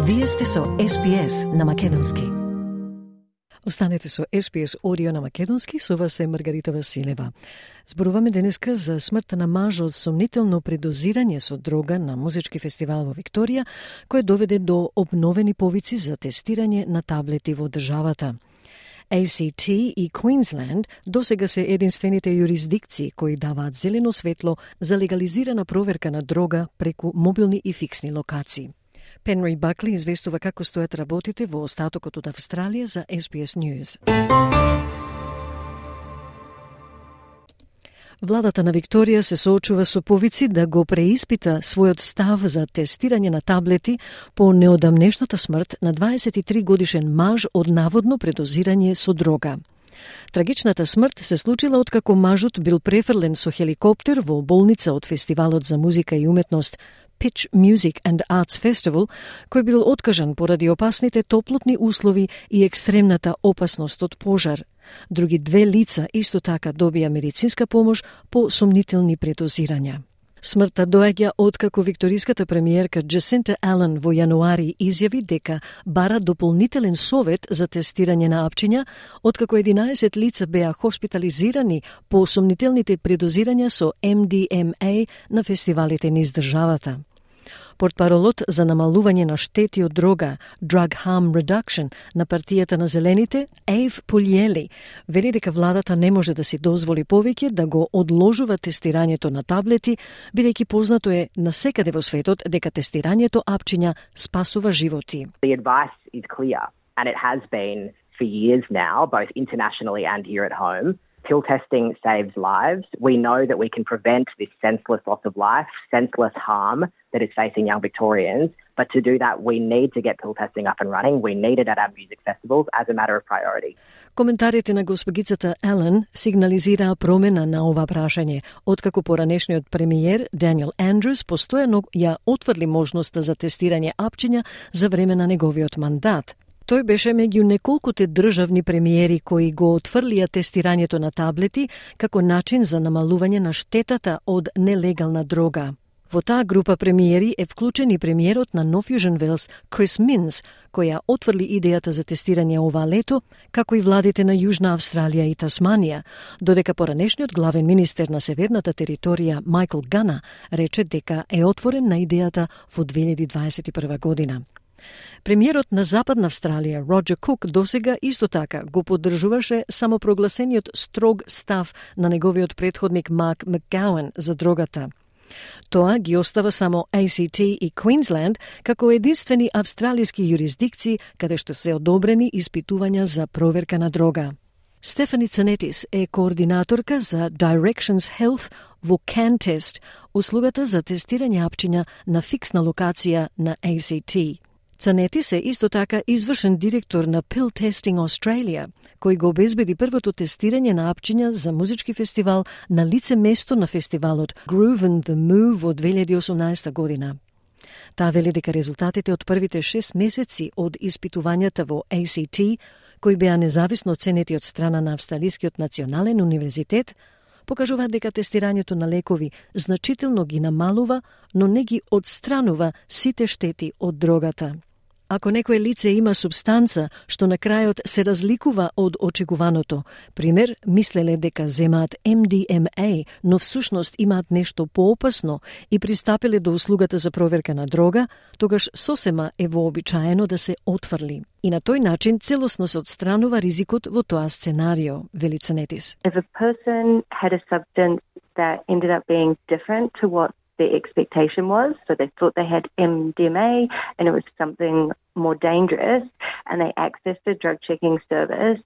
Вие сте со SPS на Македонски. Останете со SPS Audio на Македонски, со вас е Маргарита Василева. Зборуваме денеска за смртта на маж од сомнително предозирање со дрога на музички фестивал во Викторија, кој доведе до обновени повици за тестирање на таблети во државата. ACT и Queensland досега се единствените юрисдикции кои даваат зелено светло за легализирана проверка на дрога преку мобилни и фиксни локации. Пенри Бакли известува како стојат работите во остатокот од Австралија за SBS News. Владата на Викторија се соочува со повици да го преиспита својот став за тестирање на таблети по неодамнешната смрт на 23 годишен маж од наводно предозирање со дрога. Трагичната смрт се случила откако мажот бил префрлен со хеликоптер во болница од фестивалот за музика и уметност Pitch Music and Arts Festival, кој бил откажан поради опасните топлотни услови и екстремната опасност од пожар. Други две лица исто така добија медицинска помош по сомнителни предозирања. Смртта доаѓа откако викториската премиерка Джасинта Ален во јануари изјави дека бара дополнителен совет за тестирање на апчиња, откако 11 лица беа хоспитализирани по сомнителните предозирања со MDMA на фестивалите низ државата. Портпаролот за намалување на штети од дрога, Drug Harm Reduction, на партијата на Зелените, Ейв Пулиели, вели дека владата не може да си дозволи повеќе да го одложува тестирањето на таблети, бидејќи познато е насекаде во светот дека тестирањето апчиња спасува животи. The advice is clear, and it has been for years now, both internationally and here at home. Pill testing saves lives. We know that we can prevent this senseless loss of life, senseless harm that is facing young Victorians. But to do that, we need to get pill testing up and running. We need it at our music festivals as a matter of priority. Коментарите на госпогицата Елен сигнализираа промена на ова прашање, откако поранешниот премиер Даниел Андрус постојано ја отврли можноста за тестирање апчиња за време на неговиот мандат. Тој беше меѓу неколкуте државни премиери кои го отфрлија тестирањето на таблети како начин за намалување на штетата од нелегална дрога. Во таа група премиери е вклучен и премиерот на Нов Јужен Велс Крис Минс, која отфрли идејата за тестирање ова лето, како и владите на Јужна Австралија и Тасманија, додека поранешниот главен министер на Северната територија Майкл Гана рече дека е отворен на идејата во 2021 година. Премиерот на Западна Австралија, Роджер Кук, досега исто така го поддржуваше самопрогласениот строг став на неговиот претходник Марк Макгауен за дрогата. Тоа ги остава само ACT и Queensland како единствени австралиски юрисдикции каде што се одобрени испитувања за проверка на дрога. Стефани Цанетис е координаторка за Directions Health во CanTest, услугата за тестирање апчиња на фиксна локација на ACT. Цанетис е исто така извршен директор на Pill Testing Australia, кој го обезбеди првото тестирање на апчиња за музички фестивал на лице место на фестивалот Groove and the Move во 2018 година. Таа вели дека резултатите од првите 6 месеци од испитувањата во ACT, кои беа независно оценети од страна на Австралискиот национален универзитет, покажуваат дека тестирањето на лекови значително ги намалува, но не ги одстранува сите штети од дрогата. Ако некое лице има субстанца што на крајот се разликува од очекуваното, пример, мислеле дека земаат MDMA, но всушност имаат нешто поопасно и пристапиле до услугата за проверка на дрога, тогаш сосема е вообичаено да се отфрли. И на тој начин целосно се одстранува ризикот во тоа сценарио, вели Цанетис. If a person had a substance that ended up being different to what their expectation was, so they thought they had MDMA and it was something more dangerous, and they accessed a drug checking service,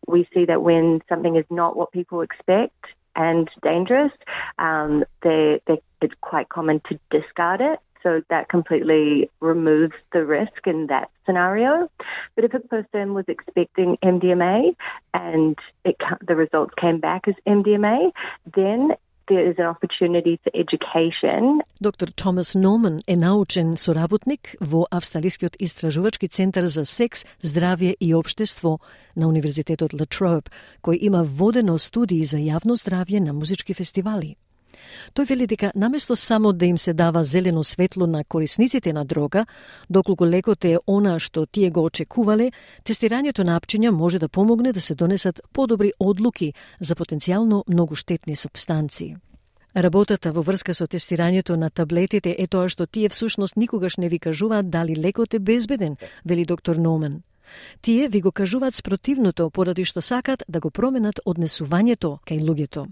we see that when something is not what people expect and dangerous, it's quite common to discard it. So that completely removes the risk in that scenario. But if a person was expecting MDMA and the results came back as MDMA, then there is an opportunity for education. Доктор Томас Норман е научен соработник во Австралискиот истражувачки центар за секс, здравје и општество на Универзитетот La Trobe, кој има водено студии за јавно здравје на музички фестивали. Тој вели дека наместо само да им се дава зелено светло на корисниците на дрога, доколку лекот е она што тие го очекувале, тестирањето на апчиња може да помогне да се донесат подобри одлуки за потенцијално многу штетни супстанции. Работата во врска со тестирањето на таблетите е тоа што тие всушност никогаш не ви кажуваат дали лекот е безбеден, вели доктор Номан. Тие ви го кажуваат спротивното, поради што сакат да го променат однесувањето кај луѓето.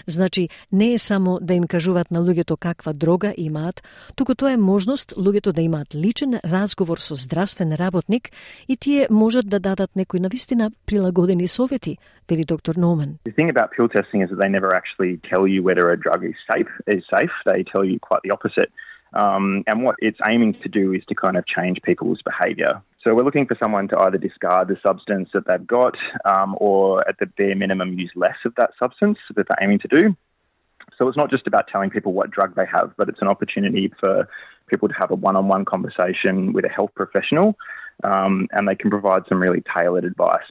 Значи, не е само да им кажуваат на луѓето каква дрога имаат, туку тоа е можност луѓето да имаат личен разговор со здравствен работник и тие можат да дадат некои навистина прилагодени совети, вели доктор Номан. The thing about pill testing is that they never actually tell you whether a drug is safe. They tell you quite the opposite. And what it's aiming to do is to kind of change people's behaviour. So we're looking for someone to either discard the substance that they've got or at the bare minimum use less of that substance that they're aiming to do. So it's not just about telling people what drug they have, but it's an opportunity for people to have a one-on-one conversation with a health professional and they can provide some really tailored advice.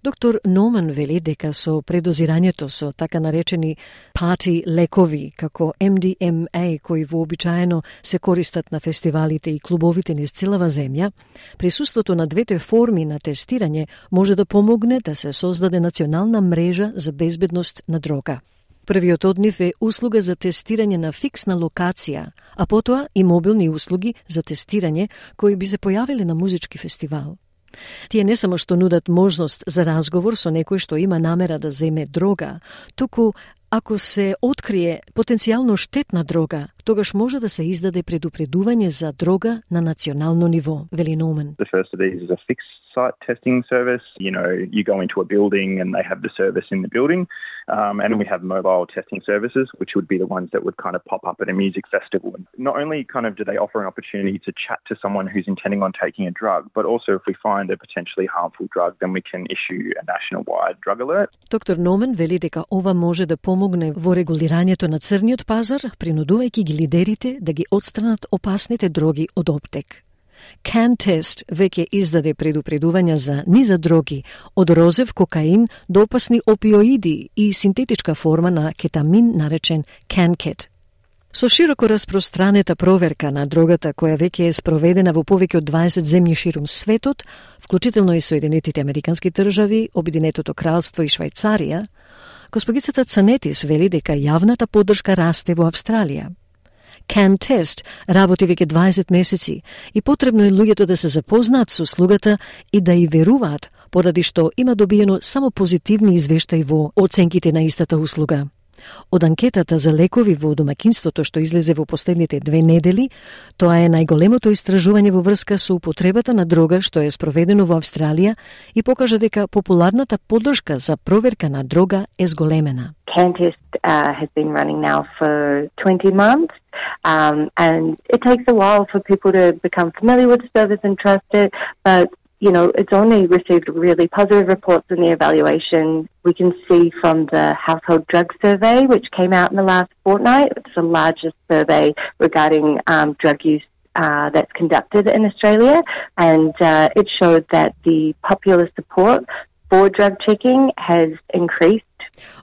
Доктор Номан вели дека со предозирањето со така наречени парти лекови, како MDMA, кои вообичаено се користат на фестивалите и клубовите низ целава земја, присуството на двете форми на тестирање може да помогне да се создаде национална мрежа за безбедност на дрога. Првиот од нив е услуга за тестирање на фиксна локација, а потоа и мобилни услуги за тестирање кои би се појавиле на музички фестивал. Тие не само што нудат можност за разговор со некој што има намера да земе дрога, туку ако се открие потенцијално штетна дрога, тогаш може да се издаде предупредување за дрога на национално ниво, вели Номан. The first of these is a fixed site testing service. You know, you go into a building and they have the service in the building. And we have mobile testing services, which would be the ones that would kind of pop up at a music festival. Not only kind of do they offer an opportunity to chat to someone who's intending on taking a drug, but also if we find a potentially harmful drug, then we can issue a national-wide drug alert. Доктор Номан вели дека ова може да помогне во регулирањето на црниот пазар, принудувајќи ги лидерите да ги отстранат опасните дроги од оптек. CanTest веќе издаде предупредувања за низа дроги, од розев кокаин до опасни опиоиди и синтетичка форма на кетамин наречен CanKet. Со широко распространета проверка на дрогата која веќе е спроведена во повеќе од 20 земји ширум светот, вклучително и Соединетите Американски држави, Обединетото кралство и Швајцарија, госпогицата Цанетис вели дека јавната поддршка расте во Австралија. CanTest работи веќе 20 месеци и потребно е луѓето да се запознаат со услугата и да ја веруваат, поради што има добиено само позитивни извештаи во оценките на истата услуга. Од анкетата за лекови во домаќинството што излезе во последните 2 недели, тоа е најголемото истражување во врска со употребата на дрога што е спроведено во Австралија и покажа дека популарната поддршка за проверка на дрога е зголемена. CanTest has been running now for 20 months, and it takes a while for people to become familiar with the service and trust it, but you know, it's only received really positive reports in the evaluation. We can see from the Household Drug Survey, which came out in the last fortnight. It's the largest survey regarding drug use that's conducted in Australia, and it showed that the popular support for drug checking has increased.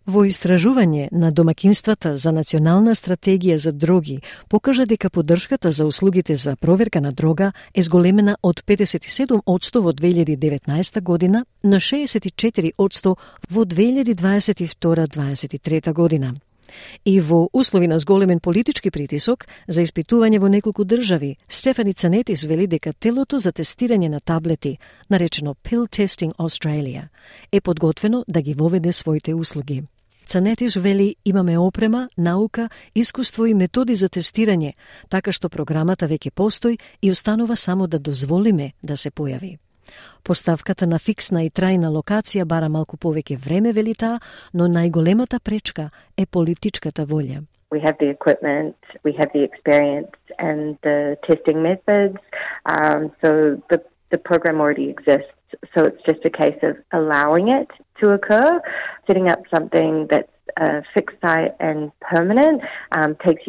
Во истражување на домаќинствата за национална стратегија за дроги покажа дека поддршката за услугите за проверка на дрога е зголемена од 57% во 2019 година на 64% во 2022-2023 година. И во услови на зголемен политички притисок за испитување во неколку држави, Стефани Цанетис вели дека телото за тестирање на таблети, наречено Pill Testing Australia, е подготвено да ги воведе своите услуги. Цанетис вели имаме опрема, наука, искуство и методи за тестирање, така што програмата веќе постои и останува само да дозволиме да се појави. Поставката на фиксна и трајна локација бара малку повеќе време, вели таа, но најголемата пречка е политичката волја. We have the equipment, we have the experience and the testing methods, so the program already exists. So it's just a case of allowing it to occur. Setting up something that's fixed site and permanent takes,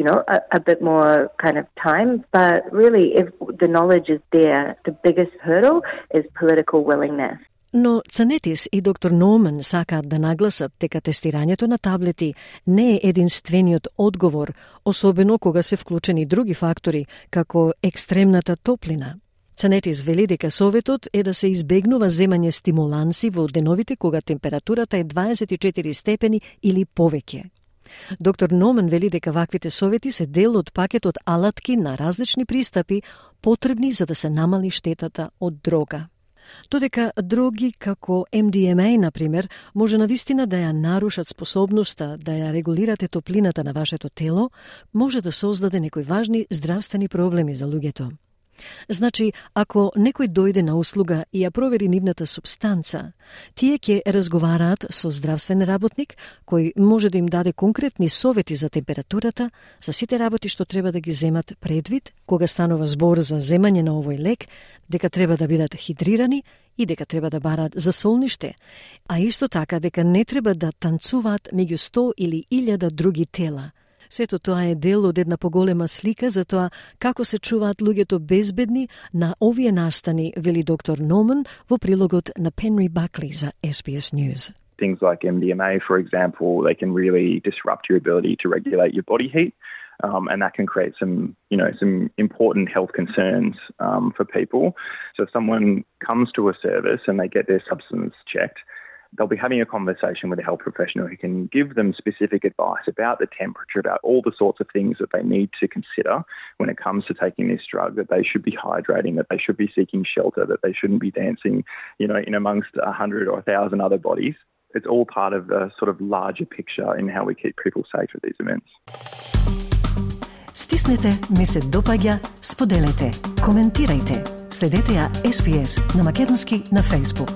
a bit more kind of time. But really, if the knowledge is there, the biggest hurdle is political willingness. Но Цанетис и доктор Норман сакаат да нагласат дека тестирањето на таблети не е единствениот одговор, особено кога се вклучени други фактори, како екстремната топлина. Цанетис вели дека советот е да се избегнува земање стимуланси во деновите кога температурата е 24 степени или повеќе. Доктор Норман вели дека ваквите совети се дел од пакетот алатки на различни пристапи потребни за да се намали штетата од дрога. Додека дроги како MDMA, например, може навистина да ја нарушат способноста да ја регулирате топлината на вашето тело, може да создаде некои важни здравствени проблеми за луѓето. Значи, ако некој дојде на услуга и ја провери нивната супстанца, тие ќе разговараат со здравствен работник кој може да им даде конкретни совети за температурата, за сите работи што треба да ги земат предвид кога станува збор за земање на овој лек, дека треба да бидат хидрирани и дека треба да барат за солниште, а исто така дека не треба да танцуваат меѓу 100 или 1000 други тела. Сето тоа е дел од една поголема слика за тоа како се чуваат луѓето безбедни на овие настани, вели доктор Норман во прилогот на Penry Buckley за SBS News. Things like MDMA, for example, they can really disrupt your ability to regulate your body heat. And that can create some important health concerns for people. So if someone comes to a service and they get their substance checked, they'll be having a conversation with a health professional who can give them specific advice about the temperature, about all the sorts of things that they need to consider when it comes to taking this drug, that they should be hydrating, that they should be seeking shelter, that they shouldn't be dancing, in amongst 100 or 1,000 other bodies. It's all part of a sort of larger picture in how we keep people safe at these events. Стиснете, ми се допаѓа, споделете, коментирајте. Следете ја SBS на Македонски на Facebook.